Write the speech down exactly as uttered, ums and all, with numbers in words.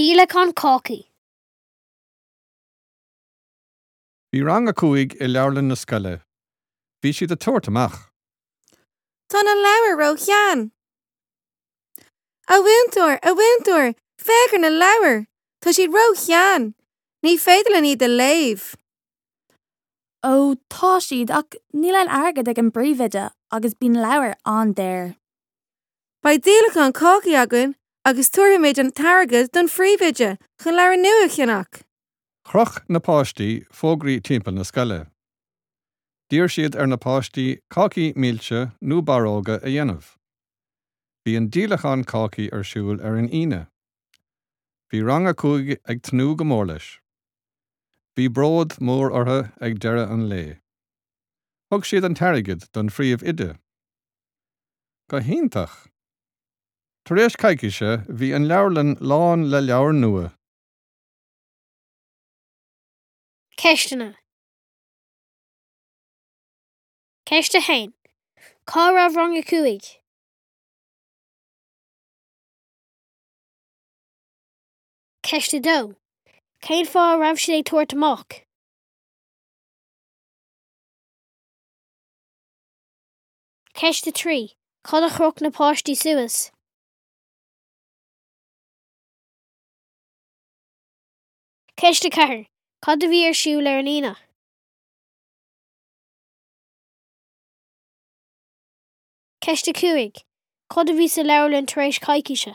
Díolachán cácaí. Bhí rang a cúig i leabharlann na scoile. Bhí siad ag tabhairt amach. Tá na leabhair ró-shean. A mhúinteoir, a mhúinteoir, féach ar na leabhair, Tá siad ró-shean, ní féidir linn iad a léamh. Ó tá siad ach níl an airgead ag an bpríomhoide agus bíonn leabhair an-daor. Beidh díolachán cácaí againn agus tabharfaimid an t-airgead don phríomhoide chun leabhair nua a cheannach. Chroch na páistí fógraí timpeall na scoile. D'iarr siad ar na páistí cácaí milse nó barróga a dhéanamh. Bhí an díolachán cácaí ar siúl ar an Aoine. Bhí rang a cúig ag tnúth go mór leis. Bhí bród mór orthu ag deireadh an lae. Thug siad an t-airgead don phríomhoide. Go hiontach! Tar éis coicíse bhí an leabharlann lán le leabhair nua. Ceisteanna. Ceist a haon. Cá raibh rang a cúig? Ceist a dó. Cén fáth a raibh siad ag tabhairt amach? Ceist a trí. Cad a chroch na páistí suas? Ceist a ceathair. Cad a bhí ar siúl ar an Aoine? Ceist a cúig. Cad a bhí sa leabharlann tar éis coicíse?